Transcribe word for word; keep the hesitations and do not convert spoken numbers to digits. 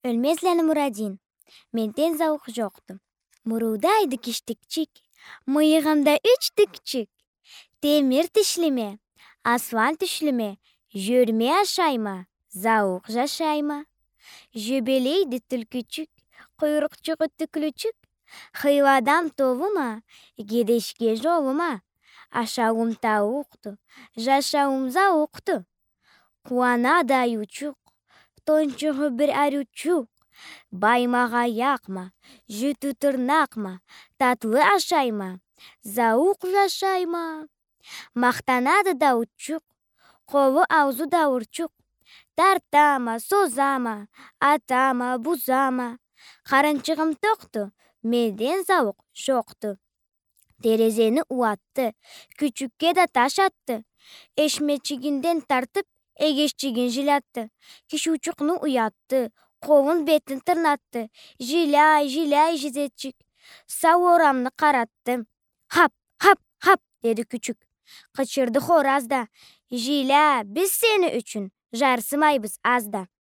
Ёлмезланы Мурадин. Менден зауукъ жокъду. Мурулдайды киштикчик, мыйыгъымда юч тюкчюк. Темир тишлиме, аслан тюшлюме, жёрме ашайма, зауукъ жашайма. Жёбелейди тюлкючюк, къуйрукъчугъу тюключюк. Хыйладан толума, гедешге жолума. Ашауум тауукъду, жашауум зауукъду. Къууанады айыучукъ, тончугъу бир ариучукъ. Баймагъа аякъма, жютю тырнакъма, татлы ашайма, зауукъ жашайма. Махтанады дауучукъ, къолу, аузу дауурчукъ. Тартама, созама, атама, бузама. Къарынчыгъым токъду, менден зауукъ жокъду. Терезени ууатды, кючюкге да таш атды. Эшмечигинден тартып, эгешчигин жилятды. Кишиучукъну уятды, къолун, бетин тырнатды. Жиляй, жиляй жизечик, сау орамны къаратды. Хап, хап, хап, деди кючюк. Къычырды хораз да. Жиля, биз сени ючюн жарсымайбыз аз да.